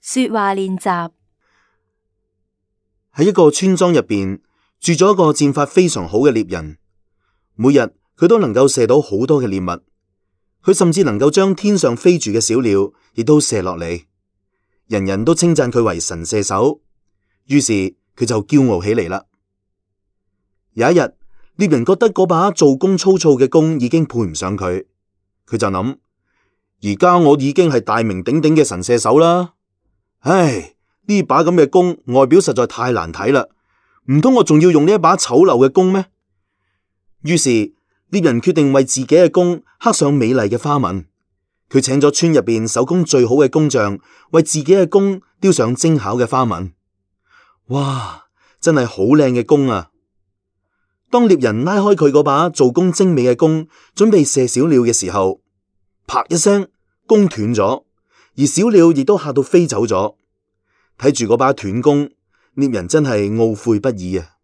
說話練習。喺一個村莊入邊住咗一個箭法非常好嘅獵人，每日佢都能夠射到好多嘅獵物，佢甚至能夠將天上飛住嘅小鳥亦都射落嚟，人人都稱讚佢為神射手，於是佢就驕傲起嚟啦。有一日，獵人覺得嗰把做工粗糙嘅弓已經配唔上佢，佢就諗：而家我已經係大名鼎鼎嘅神射手啦，唉，呢把咁嘅弓外表實在太難睇啦，唔通我仲要用呢一把醜陋嘅弓咩？於是獵人決定為自己嘅弓刻上美麗嘅花紋，佢請咗村入邊手工最好嘅工匠為自己嘅弓雕上精巧嘅花紋。哇，真係好靚嘅弓啊！當獵人拉開佢嗰把做工精美嘅弓，準備射小鳥嘅時候，啪一聲，弓斷咗，而小鳥亦都嚇到飛走咗。睇住嗰把斷弓，獵人真係懊悔不已啊！